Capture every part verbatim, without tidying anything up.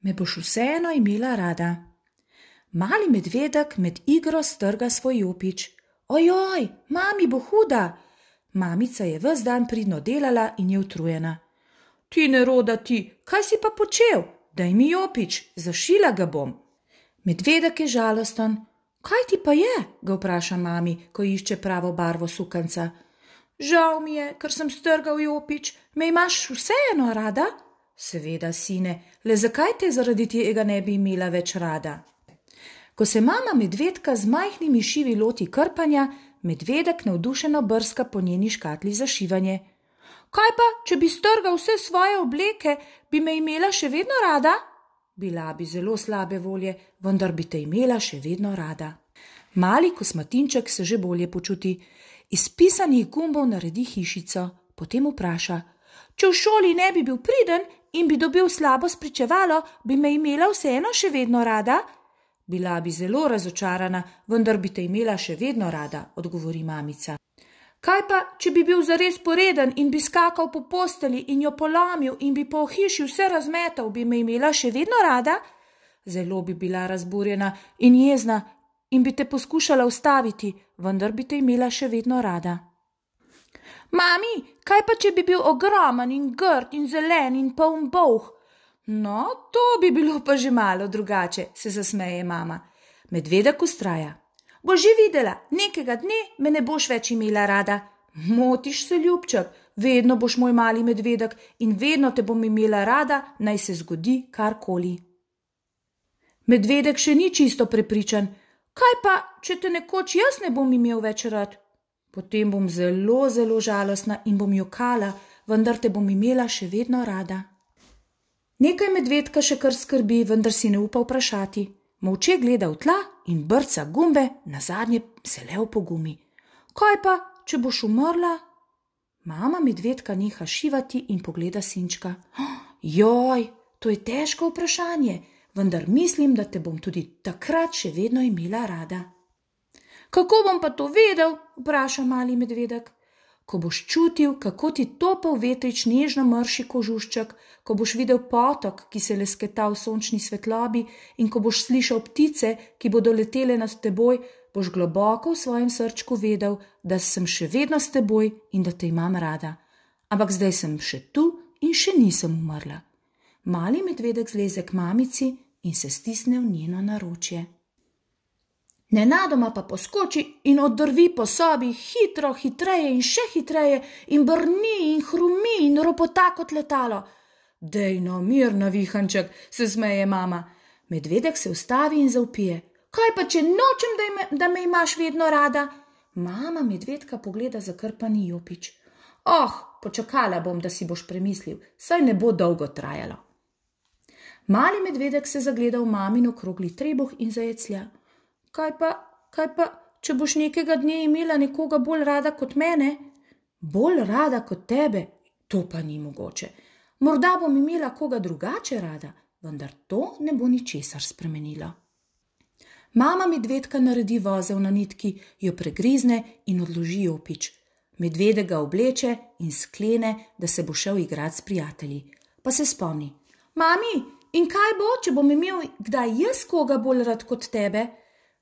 me boš vseeno imela rada. Mali medvedek med igro strga svoj jopič. Ojoj, mami bo huda. Mamica je ves dan pridno delala in je utrujena. Ti neroda ti, kaj si pa počel? Daj mi jopič, zašila ga bom. Medvedek je žalosten. Kaj ti pa je? Ga vpraša mami, ko išče pravo barvo sukanca. Žal mi je, ker sem strgal jopič. Me imaš vseeno rada? Seveda, sine, le zakaj te zaradi tega ne bi imela več rada? Ko se mama medvedka z majhnimi šivi loti krpanja, medvedek navdušeno brska po njeni škatli za šivanje. Kaj pa, če bi strgal vse svoje obleke, bi me imela še vedno rada? Bila bi zelo slabe volje, vendar bi te imela še vedno rada. Mali kosmatinček se že bolje počuti. Iz pisanih gumbov naredi hišico, potem vpraša. Če v šoli ne bi bil priden in bi dobil slabo spričevalo, bi me imela vseeno še vedno rada? Bila bi zelo razočarana, vendar bi te imela še vedno rada, odgovori mamica. Kaj pa, če bi bil zares poreden in bi skakal po posteli in jo polomil in bi po hiši vse razmetal, bi me imela še vedno rada? Zelo bi bila razburjena in jezna in bi te poskušala ustaviti, vendar bi te imela še vedno rada. Mami, kaj pa, če bi bil ogromen in grd in zelen in poln bolh? No, to bi bilo pa že malo drugače, se zasmeje mama. Medvedek vztraja. Boš že videla, nekega dne me ne boš več imela rada. Motiš se, ljubček, vedno boš moj mali medvedek in vedno te bom imela rada, naj se zgodi karkoli. Medvedek še ni čisto prepričan. Kaj pa, če te nekoč jaz ne bom imel več rad? Potem bom zelo, zelo žalostna in bom jokala, vendar te bom imela še vedno rada. Nekaj medvedka še kar skrbi, vendar si ne upa vprašati. Molče gleda v tla in brca gumbe, nazadnje se le opogumi. Kaj pa, če boš umrla? Mama medvedka neha šivati in pogleda sinčka. Joj, to je težko vprašanje, vendar mislim, da te bom tudi takrat še vedno imela rada. Kako bom pa to vedel? Vpraša mali medvedek. Ko boš čutil, kako ti topel vetrič nežno mrši kožušček, ko boš videl potok, ki se lesketa v sončni svetlobi in ko boš slišal ptice, ki bodo letele nad teboj, boš globoko v svojem srčku vedel, da sem še vedno s teboj in da te imam rada. Ampak zdaj sem še tu in še nisem umrla. Mali medvedek zleze k mamici in se stisne v njeno naročje. Nenadoma pa poskoči in oddrvi po sobi hitro, hitreje in še hitreje in brni in hrumi in ropota kot letalo. Dej no, mir, navihanček, se smeje mama. Medvedek se ustavi in zavpije. Kaj pa, če nočem, da, ime, da me imaš vedno rada? Mama medvedka pogleda zakrpani jopič. Oh, počakala bom, da si boš premislil, saj ne bo dolgo trajalo. Mali medvedek se zagleda v mamin okrogli trebuh in zajeclja. Kaj pa, kaj pa, če boš nekega dne imela nekoga bolj rada kot mene? Bolj rada kot tebe? To pa ni mogoče. Morda bom imela koga drugače rada, vendar to ne bo ničesar spremenilo. Mama medvedka naredi vozel na nitki, jo pregrizne in odloži jopič. Medvedek ga obleče in sklene, da se bo šel igrat s prijatelji. Pa se spomni. Mami, in kaj bo, če bom imel kdaj jaz koga bolj rad kot tebe?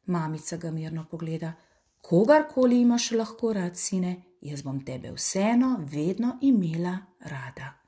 Mamica ga mirno pogleda. Kogarkoli imaš lahko rad, sine, jaz bom tebe vseeno vedno imela rada.